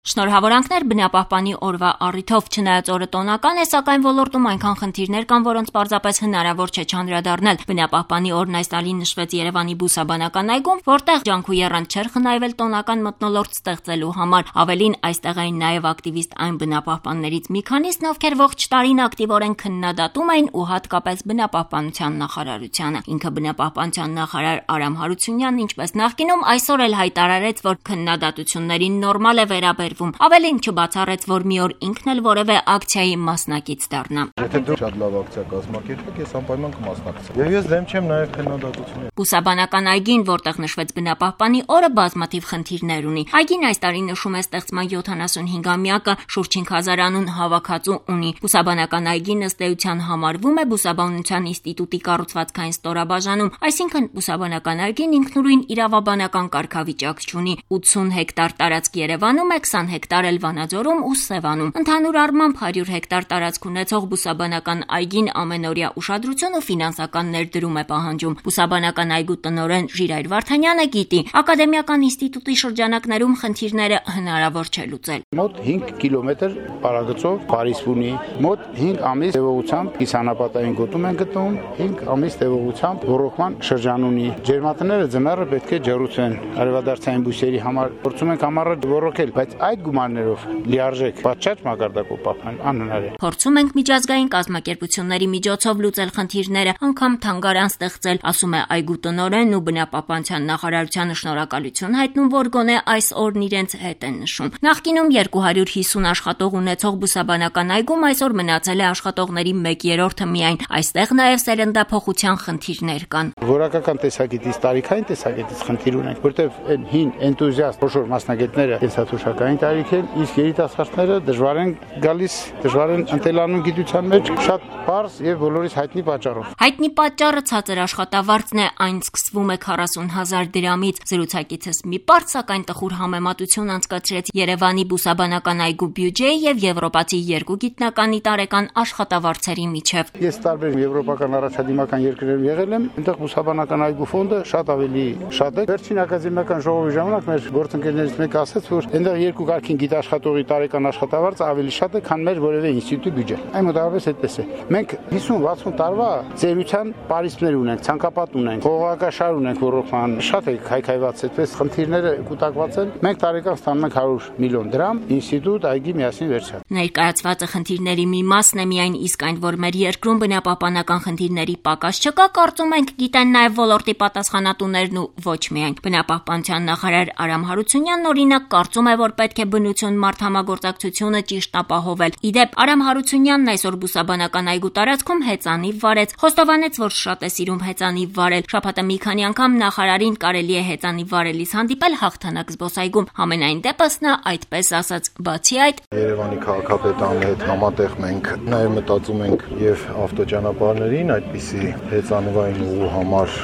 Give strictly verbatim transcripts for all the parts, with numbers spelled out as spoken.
Շնորհավորանքներ բնապահպանի օրվա առիթով, չնայած օրը տոնական է, սակայն ոլորտում այնքան խնդիրներ կան, որոնց պարզապես հնարավոր չէ չանդրադառնալ։ Բնապահպանի օրն այս տարի նշվեց Երևանի բուսաբանական այգում, որտեղ ջանք ու եռանդ չէր խնայվել տոնական մթնոլորտ ստեղծելու համար։ Ավելին, այստեղ էին նաև ակտիվիստ այն բնապահպաններից մի քանիսն, ովքեր ողջ տարին ակտիվորեն քննադատում էին ու հատկապես բնապահպանության նախարարությանը։ Ինքը բնապահպանության նախարար Արամ Հարությունյանն, ինչպես նախկինում, այսօր էլ հայտարարեց, որ քննադատություններին նորմալ է վերաբերվում։ Ավելին չբացառեց, որ մի օր ինքն էլ որևէ ակցիայի մասնակից դառնա։ Եթե դու շատ լավ ակցիա կազմակերպեք, ես անպայման կմասնակցեմ։ Եվ ես դեմ չեմ նաև քննադատությունների։ Բուսաբանական այգին, որտեղ նշվեց բնապահպանի օրը, բազմաթիվ խնդիրներ ունի։ Այգին այս տարի նշում է ստեղծման յոթանասունհինգամյակը, շուրջ հինգ հազար անուն հավաքածու ունի։ Բուսաբանական այգին ըստ էության համարվում է Բուսաբանության ինստիտուտի կառուցվածքային ստորաբաժանում, այսինքն բուսաբանական այգին ինքնուրույն իրավաբանական կարգավիճակ չունի։ ութսուն հեկտար տարածք Երևանում է, քսան հեկտար էլ Վանաձորում ու Սևանում։ Ընդհանուր առմամբ հարյուր հեկտար տարածք ունեցող բուսաբանական այգին ամենօրյա ուշադրություն ու ֆինանսական ներդրում է պահանջում։ Բուսաբանական այգու տնօրեն Ժիրայր Վարդանյանը գիտի, ակադեմիական ինստիտուտի շրջանակներում խնդիրները հնարավոր չէ լուծել։ Մոտ հինգ կիլոմետր պարագծով Փարիզ ունի, մոտ հինգ ամիս տևողությամբ կիսանապատային գոտում են գտնվում, հինգ ամիս տևողությամբ ռոռոկման շրջան ունի։ Ջերմատները ձմեռը պետք է ջեռուցեն արևադարձային բույսերի համար, փորձում ենք ամառը ռոռոկել, բայց այդ գումարներով լիարժեք պատշաճ մակարդակով պահպանել անհնար է։ Փորձում ենք միջազգային կազմակերպությունների միջոցով լուծել խնդիրները, անգամ թանգարան ստեղծել, ասում է այգու տնօրենն ու բնապահպանության նախարարությանը շնորհակալություն հայտնում, որ գոնե այս օրն իրենց հետ են նշում։ Նախկինում երկու հարյուր հիսուն աշխատող ունեցող բուսաբանական այգում այսօր մնացել է աշխատողների մեկ երրորդը միայն։ Այստեղ նաև սերնդափոխության խնդիրներ կան։ Որակական տեսակետից, տարիքային տեսակետից խնդիր ունենք, որտեղ այն հին էնտուզիաստ խոշոր մասնագետները կենսաթոշակային տարիք են, իսկ երիտասարդները դժվար են գալիս, դժվար են ընտելանում գիտության մեջ, շատ պարզ եւ բոլորիս հայտնի պատճառով։ Հայտնի պատճառը ցածր աշխատավարձն է, այն սկսվում է քառասուն հազար դրամից։ Զրուցակիցս մի պարզ, սակայն տխուր համեմատություն անցկացրեց Երևանի բուսաբանական այգու բյուջեի եւ եվրոպացի երկու գիտնականի տարեկան աշխատավարձերի միջև։ Ես տարբեր եվրոպական առաջադիմական երկրներում եղել եմ, այնտեղ բուսաբանական այգու ֆոնդը շատ ավելի շատ է։ Վերջին ակադեմիական ժողովի ժամանակ մեր գործընկերներից մեկը ասաց, որ այնտեղ երկու կարգին գիտաշխատողի տարեկան աշխատավարձը ավելի շատ է, քան մեր որևէ ինստիտուտի բյուջե։ Այն մոտավորապես այդպես է։ Մենք հիսուն վաթսուն տարվա ծերության պարիսպներ ունենք, ցանկապատ ունենք, խողովակաշար ունենք, ռոռոկման շատ է քայքայված, այդպես խնդիրները կուտակված են։ Մենք տարեկան ստանում ենք հարյուր միլիոն դրամ, ինստիտուտ այգի միասին վերջան։ Ներկայացվածը խնդիրների մի մասն է միայն, իսկ այն, որ մեր երկրում բնապահպանական խնդիրների պակաս չկա, կարծում ենք գիտեն նաև ոլորտի պատասխանատուներն ու ոչ միայն։ Բնապահպանության նախարար Արամ Հարությունյանն օրինակ կարծում է, որ պետք է բնություն մարդ համագործակցությունը ճիշտ ապահովել։ Իդեպ Արամ Հարությունյանն այսօր բուսաբանական այգու տարածքում հեծանիվ վարեց, խոստովանեց, որ շատ է սիրում հեծանիվ վարել։ Շաբաթը մի քանի անգամ նախարարին կարելի է հեծանիվ վարելիս հանդիպել Հաղթանակ զբոսայգում։ Համենայն դեպս նա այդպես ասաց, բացի այդ Երևանի քաղաքապետարանի հետ համատեղ մենք նաև մտածում ենք եւ ավտոճանապարհներին այդպիսի հեծանիվային ուղու համար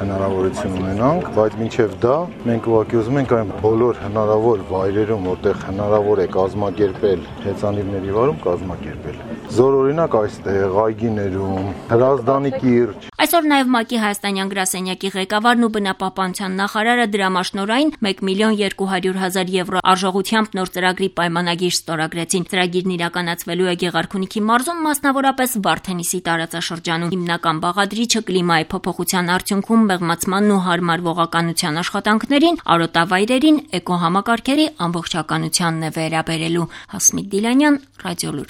հնարավորություն ունենանք, բայց մինչև դա մենք ուղղակի ուզում ենք այն բոլոր հնարավոր վայրերում, որտեղ հնարավոր է կազմակերպել հեծանիվների վարում, կազմակերպել։ Զոր օրինակ այստեղ այգիներում, Հրազդանի կիրճ։ Այսօր նաև ՄԱԿ-ի հայաստանյան գրասենյակի ղեկավարն ու բնապահպանության նախարարը դրամաշնորհային մեկ միլիոն երկու հարյուր հազար եվրո արժողությամբ նոր ծրագրի պայմանագիր ստորագրեցին։ Ծրագիրն իրականացվելու է Գեղարքունիքի մարզում, մասնավորապես Վարդենիսի տարածաշրջանում։ Հիմնական բաղադրիչը կլիմայի փոփոխության արդյունքում մեղմացմանն ու հարմարվողականության աշխատանքներին, արոտավայրերին, էկոհամակարգերի ամբողջականությանն է վերաբերելու։ Հասմիկ Դիլանյան, Ռադիոլուր։